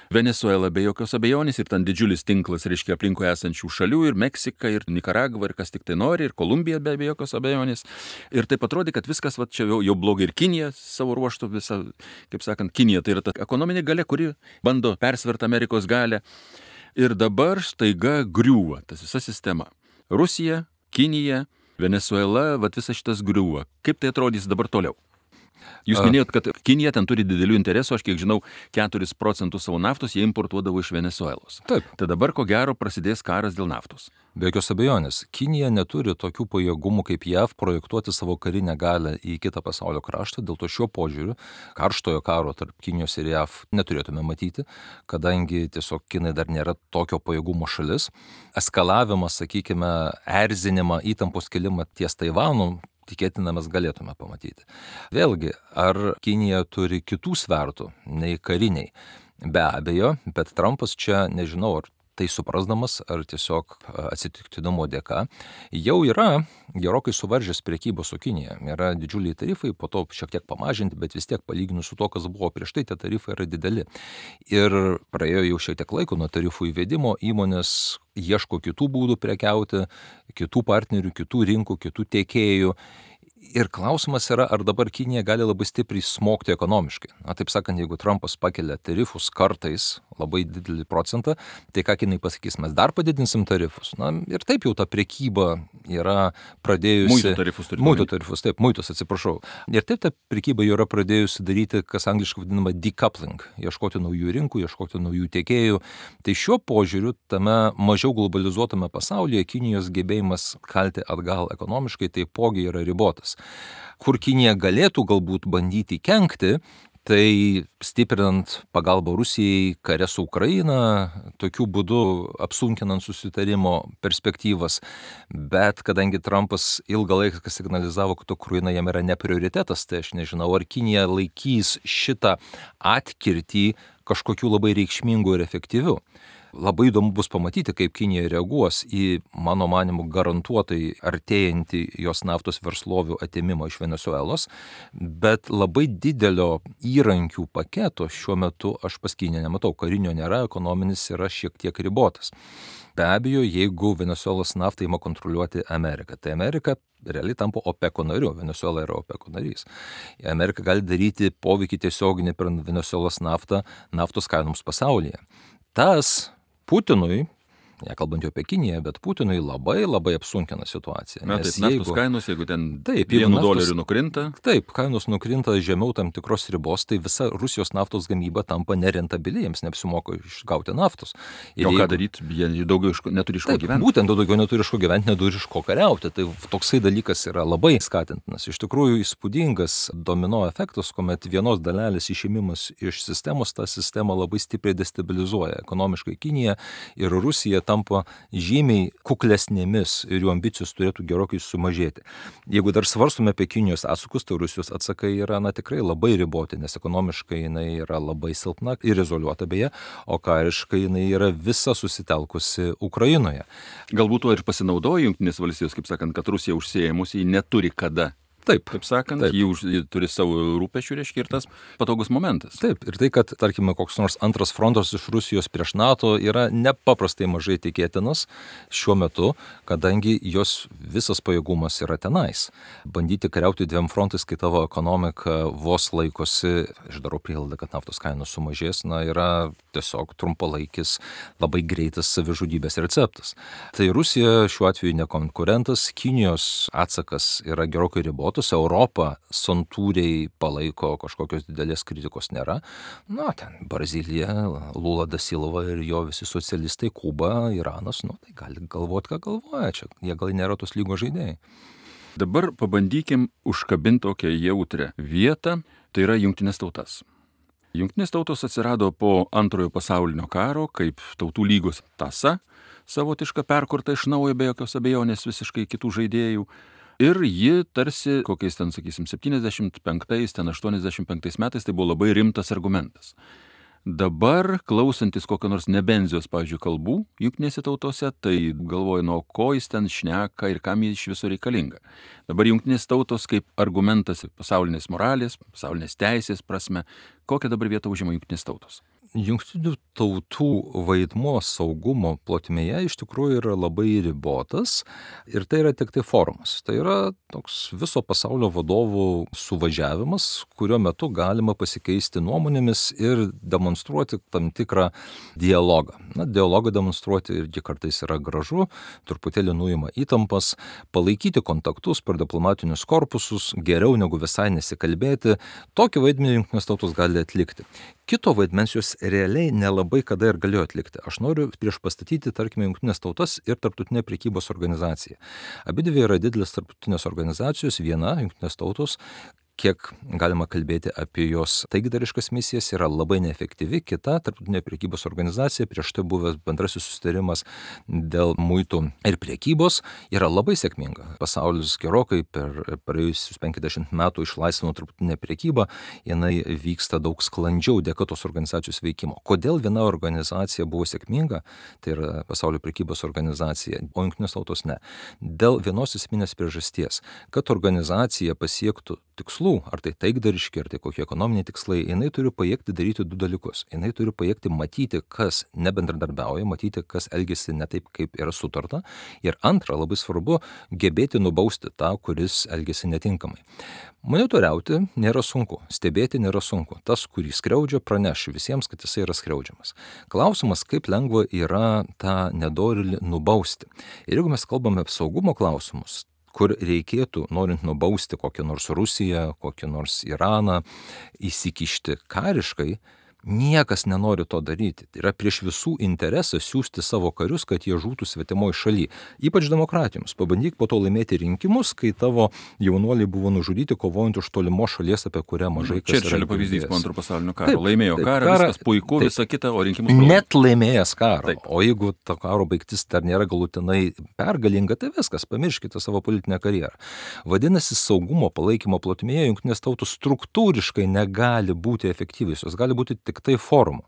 [SPEAKER 1] Venesuela be jokios abejonės ir ten didžiulis tinklas, reiškia, aplinkui esančių šalių ir Meksika, ir Nikaragva, ir kas tik tai nori, ir Kolumbija be jokios abejonės. Ir taip atrodė, kad viskas va, čia jau, jau blogai ir Kinija savo ruoštų visą, kaip sakant, Kinija tai yra ta ekonominė galia, kuri bando persverti Amerikos galią. Ir dabar staiga griūva tas visa sistema. Rusija, Kinija, Venesuela, va visas šitas griūva. Kaip tai atrodys dabar toliau? Jūs minėjot, kad Kinija ten turi didelių interesų, aš kiek žinau, keturis procentus savo naftos jie importuodavo iš Venesuelos.
[SPEAKER 2] Taip.
[SPEAKER 1] Tai dabar ko gero prasidės karas dėl naftos.
[SPEAKER 2] Be jokios abejonės, Kinija neturi tokių pajėgumų kaip J A V projektuoti savo karinę galią į kitą pasaulio kraštą, dėl to šiuo požiūriu karštojo karo tarp Kinijos ir J A V neturėtume matyti, kadangi tiesiog Kinai dar nėra tokio pajėgumo šalis. Eskalavimas, sakykime, erzinimą, įtampos kelimą ties Taivanu, tikėtina mes galėtume pamatyti. Vėlgi, ar Kinija turi kitų svertų nei kariniai? Be abejo, bet Trumpas čia, nežinau, ar tai suprasdamas, ar tiesiog atsitiktinumo dėka, jau yra gerokai suvaržęs prekybą su Kinija. Yra didžiuliai tarifai, po to šiek tiek pamažinti, bet vis tiek palyginus su to, kas buvo prieš tai, tie tarifai yra dideli. Ir praėjo jau šiek tiek laiko nuo tarifų įvedimo, įmonės ieško kitų būdų prekiauti, kitų partnerių, kitų rinkų, kitų tiekėjų. Ir klausimas yra, ar dabar Kinija gali labai stipriai smogti ekonomiškai. Na, taip sakant, jeigu Trumpas pakelia tarifus kartais labai didelį procentą, tai ką Kinai pasakys, mes dar padidinsim tarifus. Na, ir taip jau ta prekyba yra pradėjusi...
[SPEAKER 1] Muito tarifus turite.
[SPEAKER 2] Muito tarifus, taip, muitus, atsiprašau. Ir taip ta prekyba jau yra pradėjusi daryti, kas angliškai vadinama decoupling, ieškoti naujų rinkų, ieškoti naujų tiekėjų. Tai šiuo požiūriu, tame mažiau globalizuotame pasaulyje, Kinijos gebėjimas kalti atgal ekonomiškai taipogi yra ribotas. Kur Kinija galėtų galbūt bandyti kenkti, tai stiprinant pagalbą Rusijai kare su Ukraina, tokiu būdu apsunkinant susitarimo perspektyvas. Bet kadangi Trumpas ilgą laiką signalizavo, kad Ukraina jam yra ne prioritetas, tai aš nežinau, ar Kinija laikys šitą atkirtį kažkokiu labai reikšmingu ir efektyviu. Labai įdomu bus pamatyti, kaip Kinija reaguos į, mano manimu, garantuotai artėjantį jos naftos verslovių atėmimą iš Venesuelos, bet labai didelio įrankių paketo šiuo metu aš pas Kiniją nematau. Karinio nėra, ekonominis yra šiek tiek ribotas. Be abejo, jeigu Venesuelos naftą ima kontroliuoti Amerika, tai Amerika realiai tampa OPECO nariu, Venesuela yra OPECO narys. Amerika gali daryti poveikį tiesioginį per Venesuelos naftą naftos kainoms pasaulyje. Tas Putinui, nekalbant jau apie Kiniją, bet Putinui labai labai apsunkina situaciją.
[SPEAKER 1] Na, taip, naftos jeigu, kainos, jeigu ten
[SPEAKER 2] taip,
[SPEAKER 1] vienu
[SPEAKER 2] naftos,
[SPEAKER 1] doleriu nukrinta.
[SPEAKER 2] Taip, kainos nukrinta žemiau tam tikros ribos, tai visa Rusijos naftos gamyba tampa nerentabili, jiems neapsimoka išgauti naftos.
[SPEAKER 1] Ir o ką daryti, jie daugiau iš, neturi iš ko
[SPEAKER 2] taip,
[SPEAKER 1] gyventi.
[SPEAKER 2] Būtent daugiau neturi iš ko gyventi, neturi iš ko kariauti. Tai toksai dalykas yra labai skatintinas. Iš tikrųjų įspūdingas domino efektas, kuomet vienos dalelės išėmimas iš sistemos, tą sistemą labai stipriai destabilizuoja. Ekonomiškai Kinija ir Rusija tampa žymiai kuklesnėmis ir jų ambicijos turėtų gerokai sumažėti. Jeigu dar svarstume apie Kinijos atsakus, tai Rusijos atsakai yra na, tikrai labai riboti, nes ekonomiškai jinai yra labai silpna ir izoliuota beje, o kariškai jinai yra visa susitelkusi Ukrainoje.
[SPEAKER 1] Galbūt tuo ir pasinaudoja Jungtinės valstijos, kaip sakant, kad Rusija užsiėmusi, ji neturi kada
[SPEAKER 2] Taip,
[SPEAKER 1] kaip sakant,
[SPEAKER 2] taip.
[SPEAKER 1] jį, už, jį turi savo rūpešių, reiškia, ir tas patogus momentas.
[SPEAKER 2] Taip, ir tai, kad, tarkime, koks nors antras frontas iš Rusijos prieš NATO yra nepaprastai mažai tikėtinas šiuo metu, kadangi jos visas pajėgumas yra tenais. Bandyti kariauti dviem frontais, kai tavo ekonomika vos laikosi, aš darau prielaidą, kad naftos kainos sumažės, na, yra tiesiog trumpalaikis, labai greitas savižudybės receptas. Tai Rusija šiuo atveju ne konkurentas, Kinijos atsakas yra gerokai ribotas. Europa santūriai palaiko, kažkokios didelės kritikos nėra. Na, ten Brazilija, Lula da Silva ir jo visi socialistai, Kuba, Iranas, nu, tai gali galvoti, ką galvoja čia. Jie gal nėra tos lygos žaidėjai.
[SPEAKER 1] Dabar pabandykim užkabinti tokią jautrią vietą, tai yra Jungtinės tautas. Jungtinės tautos atsirado po antrojo pasaulinio karo kaip tautų lygos tąsa, savotiška perkurta iš naujo be jokios abejonės visiškai kitų žaidėjų. Ir ji tarsi, kokiais ten, sakysim, septyniasdešimt penktais, ten aštuoniasdešimt penktais metais, tai buvo labai rimtas argumentas. Dabar, klausantis kokio nors nebenzijos, pavyzdžiui, kalbų Jungtinėse tautose, tai galvoju, nuo ko jis ten šneka ir kam jis iš viso reikalinga. Dabar Jungtinės tautos kaip argumentas pasaulinės moralės, pasaulinės teisės prasme, kokią dabar vietą užima Jungtinės tautos?
[SPEAKER 2] Jungtinių tautų vaidmuo saugumo plotmėje iš tikrųjų yra labai ribotas ir tai yra tik tai forumas. Tai yra toks viso pasaulio vadovų suvažiavimas, kurio metu galima pasikeisti nuomonėmis ir demonstruoti tam tikrą dialogą. Na, dialogą demonstruoti irgi kartais yra gražu, truputėlį nuima įtampas, palaikyti kontaktus per diplomatinius korpusus, geriau negu visai nesikalbėti. Tokį vaidmenį Jungtinės tautos gali atlikti. Kito vaidmens jos realiai nelabai kada ir galėjo atlikti. Aš noriu prieš pastatyti, tarkime, Jungtinės tautas ir Tarptautinę prekybos organizaciją. Abidvi yra didelės tarptautinės organizacijos, viena Jungtinės tautos, kiek galima kalbėti apie jos taikdariškas misijas, yra labai neefektyvi. Kita Tarptautinė prekybos organizacija, prieš tai buvęs bendrasis susitarimas dėl muitų ir prekybos, yra labai sėkminga. Pasaulis gerokai per praėjusius penkiasdešimt metų išlaisvino tarptautinę prekybą, jinai vyksta daug sklandžiau dėka tos organizacijos veikimo. Kodėl viena organizacija buvo sėkminga, tai yra Pasaulio prekybos organizacija, o Jungtinės tautos ne? Dėl vienos esminės priežasties, kad organizacija pasiektų tikslų, ar tai taikdariški, ar tai kokie ekonominiai tikslai, jinai turi pajėgti daryti du dalykus. Jinai turi pajėgti matyti, kas nebendradarbiauja, matyti, kas elgesi ne taip, kaip yra sutarta. Ir antra, labai svarbu, gebėti nubausti tą, kuris elgesi netinkamai. Monitoriauti nėra sunku, stebėti nėra sunku. Tas, kurį skriaudžia, praneš visiems, kad jisai yra skriaudžiamas. Klausimas, kaip lengva yra tą nedorėlį nubausti. Ir jeigu mes kalbame apie saugumo klausimus, kur reikėtų, norint nubausti kokią nors Rusiją, kokį nors Iraną, įsikišti kariškai, niekas nenori to daryti. Tai yra prieš visų interesą siųsti savo karius, kad jie žūtų svetimoje šalyje. Ypač demokratijoms. Pabandyk po to laimėti rinkimus, kai tavo jaunuoliai buvo nužudyti, kovojant už tolimos šalies, apie kurią mažai kas yra.
[SPEAKER 1] Čerčilio pavyzdys po antro pasaulinio karo.
[SPEAKER 2] Taip,
[SPEAKER 1] Laimėjo
[SPEAKER 2] taip,
[SPEAKER 1] karą,
[SPEAKER 2] karą,
[SPEAKER 1] viskas puiku,
[SPEAKER 2] taip,
[SPEAKER 1] visa kita, o rinkimus pralaimėjo.
[SPEAKER 2] Net laimėjęs karą.
[SPEAKER 1] Taip.
[SPEAKER 2] O jeigu to karo baigtis dar nėra galutinai pergalinga, tai viskas, pamirškite savo politinę karjerą. Vadinasi, saugumo palaikymo plotmėje Jungtinės tautos struktūriškai negali būti efektyvios. Jos gali būti tik tai forumų.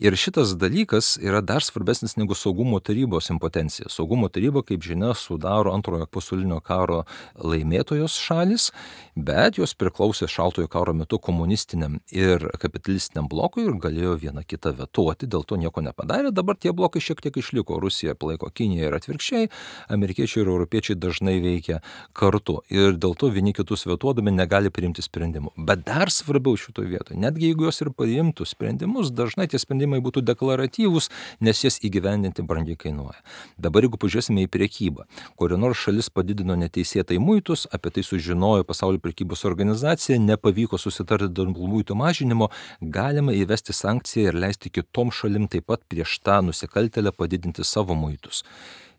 [SPEAKER 2] Ir šitas dalykas yra dar svarbesnis negu saugumo tarybos impotencija. Saugumo taryba, kaip žinia, sudaro antrojo pasaulinio karo laimėtojos šalis, bet jos priklausė šaltojo karo metu komunistiniam ir kapitalistiniam blokui ir galėjo vieną kitą vetuoti, dėl to nieko nepadarė. Dabar tie blokai šiek tiek išliko. Rusija palaiko Kiniją ir atvirkščiai, amerikiečiai ir europiečiai dažnai veikia kartu. Ir dėl to vieni kitus vetuodami negali priimti sprendimų. Bet dar svarbiau šitoje vietoje, netgi jeigu jos ir priimtų sprendimus, dažnai tie sprendimai būtų deklaratyvūs, nes jas įgyvendinti brangiai kainuoja. Dabar jeigu pažiūrėsime į prekybą, kuri nors šalis padidino neteisėtai muitus, apie tai sužinojo Pasaulio prekybos organizacija, nepavyko susitarti dėl muitų mažinimo, galima įvesti sankciją ir leisti kitom šalim taip pat prieš tą nusikaltėlę padidinti savo muitus.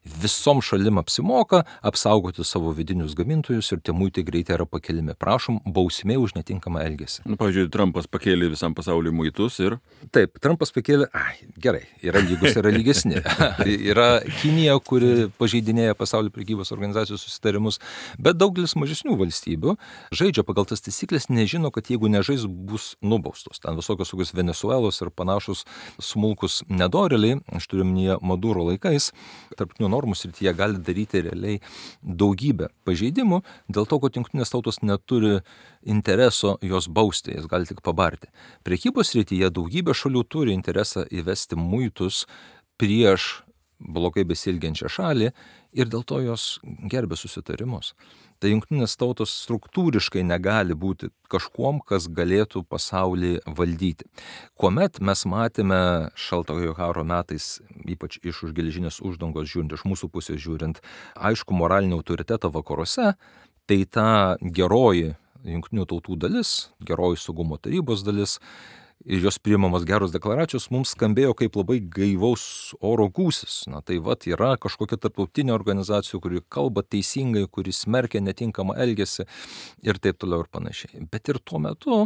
[SPEAKER 2] Visom šalim apsimoka apsaugoti savo vidinius gamintojus ir tie muitai greitai yra pakeliami. Prašom, bausmė už netinkamą elgesį.
[SPEAKER 1] Nu, pavyzdžiui, Trumpas pakėlė visam pasauliu muitus ir...
[SPEAKER 2] Taip, Trumpas pakėlė, ai, gerai, yra lygus, yra lygesni. Yra Kinija, kuri pažeidinėja Pasaulio prekybos organizacijos susitarimus, bet daugelis mažesnių valstybių žaidžia pagal tas taisyklės, nežino, kad jeigu nežais, bus nubaustos. Ten visokios tokios Venesuelos ir panašus smulkus nedorėliai, aš turiu minėję Maduro laikais, tarptautinių normų srityje gali daryti realiai daugybę pažeidimų, dėl to, kad jungtinės tautos neturi intereso jos bausti, jas gali tik pabarti. Prekybos srityje daugybė šalių turi interesą įvesti muitus prieš blogai besilgiančią šalį ir dėl to jos gerbė susitarimus. Tai jungtinės tautos struktūriškai negali būti kažkuom, kas galėtų pasaulį valdyti. Kuomet mes matėme šaltojo karo metais, ypač iš už geležinės uždangos žiūrint, iš mūsų pusės žiūrint, aišku moralinį autoritetą vakaruose, tai ta geroji jungtinių tautų dalis, geroji saugumo tarybos dalis, ir jos priimamos geros deklaracijos mums skambėjo kaip labai gaivaus oro gūsis. Na tai vat yra kažkokia tarptautinė organizacija, kuri kalba teisingai, kuri smerkia netinkamą elgesį ir taip toliau ir panašiai. Bet ir tuo metu,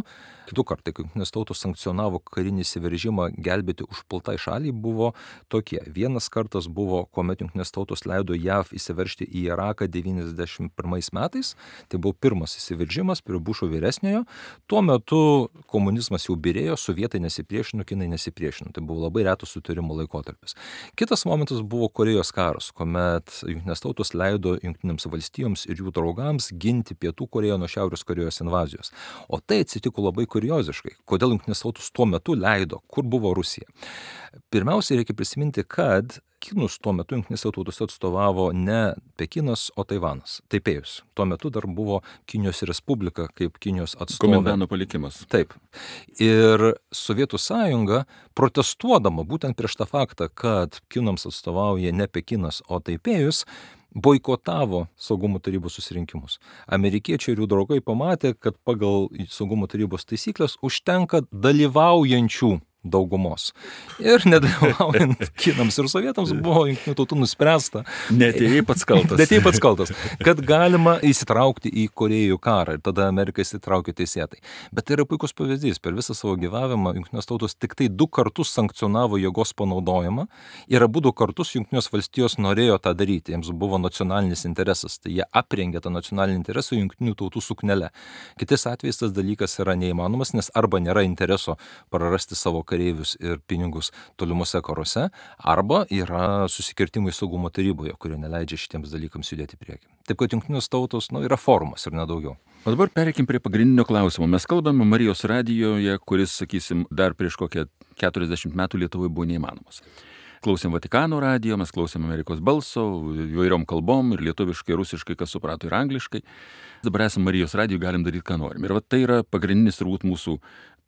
[SPEAKER 2] kitų kartai, kai jungtinės tautos sankcionavo karinį įsiveržimą gelbėti užpultai šaliai, buvo tokie. Vienas kartas buvo, kuomet jungtinės tautos leido J A V įsiveržti į Iraką devyniasdešimt pirmais metais. Tai buvo pirmas įsiveržimas prie Bušo vyresniojo. Tuo metu komunizmas jau byrėjo, sovietai nesipriešino, kinai nesipriešino. Tai buvo labai retas sutarimo laikotarpis. Kitas momentas buvo Korėjos karas, kuomet jungtinės tautos leido jungtinėms valstijoms ir jų draugams ginti Pietų Korėją nuo Šiaurės Korėjos invazijos. O tai atsitiko labai kurioziškai. Kodėl jungtinės tautos tuo metu leido? Kur buvo Rusija? Pirmiausia, reikia prisiminti, kad Kinus tuo metu jungtinėse tautose atstovavo ne Pekinas, o Taivanas, Taipėjus. Tuo metu dar buvo Kinijos Respublika kaip Kinijos atstovė.
[SPEAKER 1] Komendano palikimas.
[SPEAKER 2] Taip. Ir Sovietų sąjunga, protestuodama būtent prieš tą faktą, kad Kinams atstovauja ne Pekinas, o Taipėjus, boikotavo saugumo tarybos susirinkimus. Amerikiečiai ir jų draugai pamatė, kad pagal saugumo tarybos taisyklės užtenka dalyvaujančių daugumos. Ir nedalyvaujant kinams ir sovietams buvo jungtinių tautų nuspręsta.
[SPEAKER 1] Netėjai pats kaltas.
[SPEAKER 2] Netėjai pats kaltas. Kad galima įsitraukti į Korėjų karą ir tada Amerika įsitraukė teisėtai. Bet tai yra puikus pavyzdys. Per visą savo gyvavimą jungtinės tautos tik tai du kartus sankcionavo jėgos panaudojimą ir abu du kartus jungtinės valstijos norėjo tą daryti. Jiems buvo nacionalinis interesas. Tai jie aprengė tą nacionalinį interesą jungtinių tautų suknele. Kitais atvejais tas dalykas yra neįmanomas, nes arba nėra intereso prarasti savo kareivius ir pinigus tolimuose karuose, arba yra susikirtimai saugumo taryboje, kurie neleidžia šitiems dalykams judėti į priekį. Taip kad jungtinės tautos nu, yra forumas ir nedaugiau.
[SPEAKER 1] O dabar pereikim prie pagrindinio klausimo. Mes kalbame Marijos radijoje, kuris, sakysim, dar prieš kokią keturiasdešimt metų Lietuvoje buvo neįmanomas. Klausėm Vatikano radijo, mes klausėm Amerikos balso, įvairiom kalbom, ir lietuviškai, rusiškai, kas suprato, ir angliškai. Dabar esame Marijos radijo, galim daryti, ką norim. Ir va, tai yra pagrindinis turbūt mūsų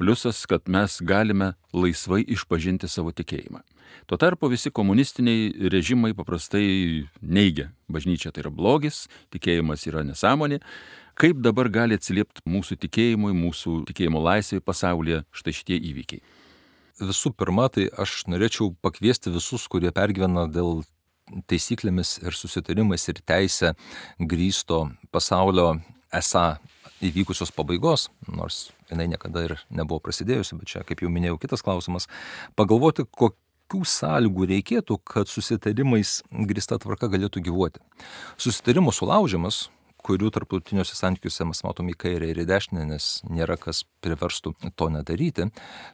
[SPEAKER 1] pliusas, kad mes galime laisvai išpažinti savo tikėjimą. Tuo tarpu visi komunistiniai režimai paprastai neigia bažnyčia, tai yra blogis, tikėjimas yra nesąmonė. Kaip dabar gali atsiliepti mūsų tikėjimui, mūsų tikėjimo laisvai pasaulyje štai šitie įvykiai?
[SPEAKER 2] Visų pirma, tai aš norėčiau pakviesti visus, kurie pergyvena dėl taisyklėmis ir susitarimais ir teisę grįsto pasaulio esą įvykusios pabaigos, nors jinai niekada ir nebuvo prasidėjusi, bet čia, kaip jau minėjau, kitas klausimas, pagalvoti, kokių sąlygų reikėtų, kad susitarimais grįsta tvarka galėtų gyvuoti. Susitarimų sulaužimas, kurių tarptautiniuose santykiuose mes matome į kairę ir į dešinę, nes nėra kas priverstų to nedaryti.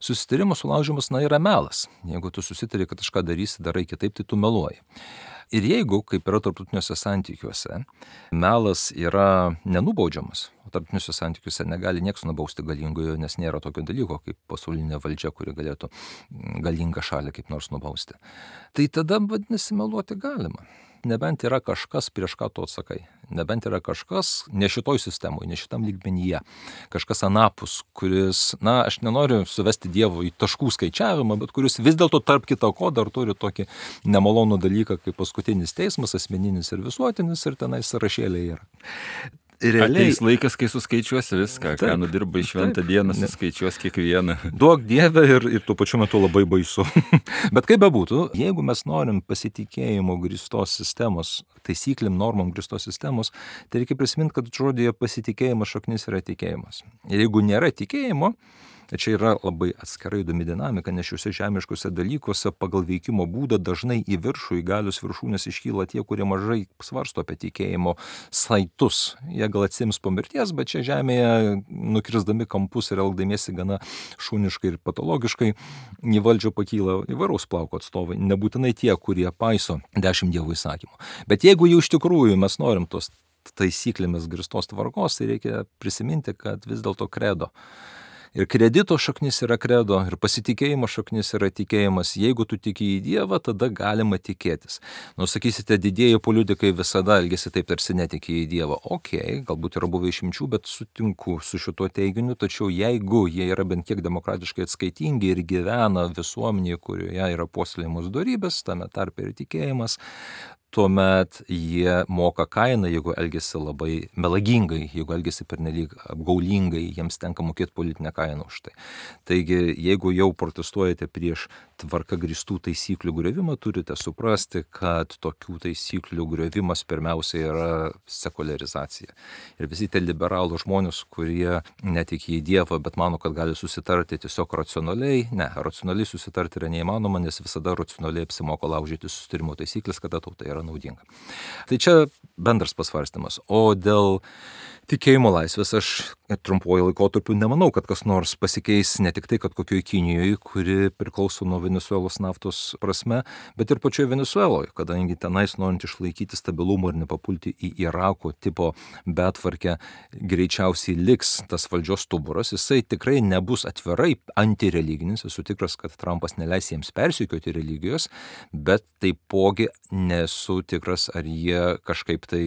[SPEAKER 2] Susitarimo sulaužimas, na, yra melas. Jeigu tu susitari, kad kažką darysi, darai kitaip, tai tu meluoji. Ir jeigu, kaip yra tarptautiniuose santykiuose, melas yra nenubaudžiamas, o tarptautiniuose santykiuose negali nieks nubausti galingojo, nes nėra tokio dalyko kaip pasaulinė valdžia, kuri galėtų galingą šalį kaip nors nubausti. Tai tada, vadinasi, meluoti galima. Nebent yra kažkas, prieš ką tu atsakai. Nebent yra kažkas ne šitoj sistemoje, ne šitam lygmenyje. Kažkas anapus, kuris, na, aš nenoriu suvesti Dievo į taškų skaičiavimą, bet kuris vis dėlto tarp kito ko dar turi tokį nemalonų dalyką kaip paskutinis teismas, asmeninis ir visuotinis, ir tenai sąrašėliai yra.
[SPEAKER 1] Realiai, ateis laikas, kai suskaičiuosi viską, taip, ką nudirbai šventą dieną, suskaičiuos kiekvieną.
[SPEAKER 2] Duok Dieve ir, ir tuo pačiu metu labai baisu. Bet kaip bebūtų, jeigu mes norim pasitikėjimo grįstos sistemos, taisyklėm, normom grįstos sistemos, tai reikia prisiminti, kad žodėje pasitikėjimas šaknis yra tikėjimas. Ir jeigu nėra tikėjimo, Čia yra labai atskirai įdomi dinamika, nes šiuose žemiškose dalykuose pagal veikimo būdą dažnai į viršų, į galios viršūnės iškyla tie, kurie mažai svarsto apie tikėjimo saitus. Jie gal atsims po mirties, bet čia žemėje nukirsdami kampus ir elgdamiesi gana šuniškai ir patologiškai į valdžią pakyla įvairaus plauko atstovai, nebūtinai tie, kurie paiso dešimt dievų įsakymų. Bet jeigu jau iš tikrųjų mes norim tos taisyklėmis grįstos tvarkos, tai reikia prisiminti, kad vis dėlto kredo. Ir kredito šaknis yra kredo, ir pasitikėjimo šaknis yra tikėjimas. Jeigu tu tiki į Dievą, tada galima tikėtis. Nu, sakysite, didieji politikai visada elgesi taip, tarsi netiki į Dievą. Ok, galbūt yra buvę išimčių, bet sutinku su šituo teiginiu, tačiau jeigu jie yra bent kiek demokratiškai atskaitingi ir gyvena visuomenėje, kurioje yra puoselėjamos dorybės, tame tarpe ir tikėjimas, tuomet jie moka kainą, jeigu elgesi labai melagingai, jeigu elgesi pernelyg apgaulingai, jiems tenka mokėti politinę kainą už tai. Taigi, jeigu jau protestuojate prieš tvarka grįstų taisyklių griovimą, turite suprasti, kad tokių taisyklių griovimas pirmiausia yra sekuliarizacija. Ir visi tie liberalų žmonės, kurie netiki į Dievą, bet mano, kad gali susitarti tiesiog racionaliai, ne, racionaliai susitarti yra neįmanoma, nes visada racionaliai apsimoko laužyti susitarimo taisyklės, kada tauta yra naudinga. Tai čia bendras pasvarstymas. O dėl tikėjimo laisvės aš trumpuoju laikotarpiu nemanau, kad kas nors pasikeis ne tik tai, kad kokioje Kinijoje, kuri priklauso nuo Venesuelos naftos prasme, bet ir pačioje Venesueloje, kadangi tenais norint išlaikyti stabilumą ir nepapulti į Irako tipo betvarkę, greičiausiai liks tas valdžios stuburas. Jisai tikrai nebus atvirai antireliginis, esu tikras, kad Trumpas neleis jiems persekioti religijos, bet taipogi nesu tikras, ar jie kažkaip tai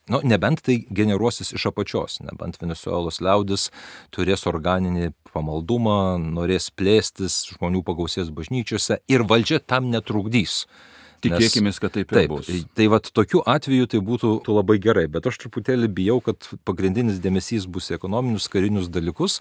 [SPEAKER 2] Nu, nebent tai generuosis iš apačios, nebent Venesuelos liaudis turės organinį pamaldumą, norės plėstis, žmonių pagausės bažnyčiose ir valdžia tam netrukdys.
[SPEAKER 1] Tikėkimės, kad taip ir
[SPEAKER 2] taip
[SPEAKER 1] bus.
[SPEAKER 2] Tai vat tokiu atveju tai būtų labai gerai, bet aš truputėlį bijau, kad pagrindinis dėmesys bus į ekonominius, karinius dalykus,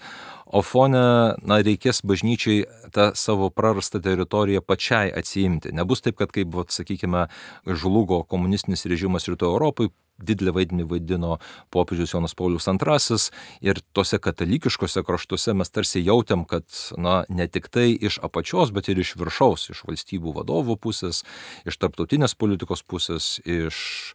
[SPEAKER 2] o fone, na, reikės bažnyčiai tą savo prarastą teritoriją pačiai atsiimti. Nebus taip, kad kaip, vat, sakykime, žlugo komunistinis režimas Rytų Europai, didelį vaidmenį vaidino popiežius Jonas Paulius antrasis ir tose katalikiškose kraštuose mes tarsi jautėm, kad na, ne tik tai iš apačios, bet ir iš viršaus, iš valstybių vadovų pusės, iš tarptautinės politikos pusės, iš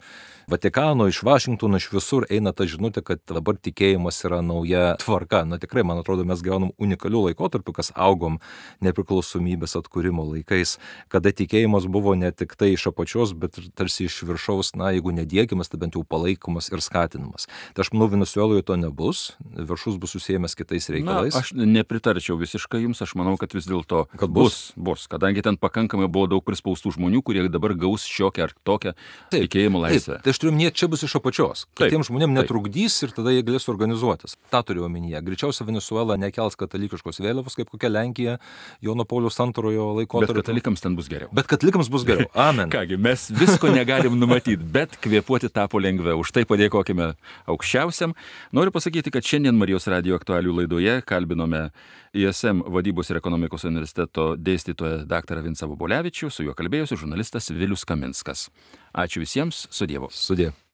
[SPEAKER 2] Vatikano, iš Vašingtono, iš visur eina ta žinutė, kad dabar tikėjimas yra nauja tvarka. Na tikrai, man atrodo, mes gaunam unikalių laikotarpių, kas augom nepriklausomybės atkūrimo laikais, kada tikėjimas buvo ne tik tai iš apačios, bet ir tarsi iš viršaus, na, jeigu nediekiamas, tai bent jau palaikomas ir skatinamas. Tai aš manau, Venesueloje to nebus, viršus bus susijęs kitais reikalais.
[SPEAKER 1] Na, aš nepritarčiau visiškai jums, aš manau, kad vis dėlto kad bus, bus, kadangi ten pakankamai buvo daug prispaustų žmonių, kurie dabar gaus šiokią ar tokią taip, tikėjimo laisvę.
[SPEAKER 2] Taip, tai aš turiu omenyje, čia bus iš apačios. Kitiems žmonėms netrukdys ir tada jie galės organizuotis. Ta turiu omenyje. Greičiausiai Venesuela nekels katalikiškos vėliavos, kaip kokia Lenkija Jono Pauliaus antrojo laikotarpiu.
[SPEAKER 1] Bet katalikams ten bus geriau.
[SPEAKER 2] Bet katalikams bus geriau. Amen.
[SPEAKER 1] Kągi, mes visko negalim numatyti, bet kvėpuoti tapo lengviau. Už tai padėkokime aukščiausiam. Noriu pasakyti, kad šiandien Marijos radijo aktualių laidoje kalbinome I S M vadybos ir ekonomikos universiteto dėstytoją daktarą Vincą Vobolevičių, su juo kalbėjosi žurnalistas Vilius Kaminskas. Ačiū visiems, su Dievu.
[SPEAKER 2] Sudie.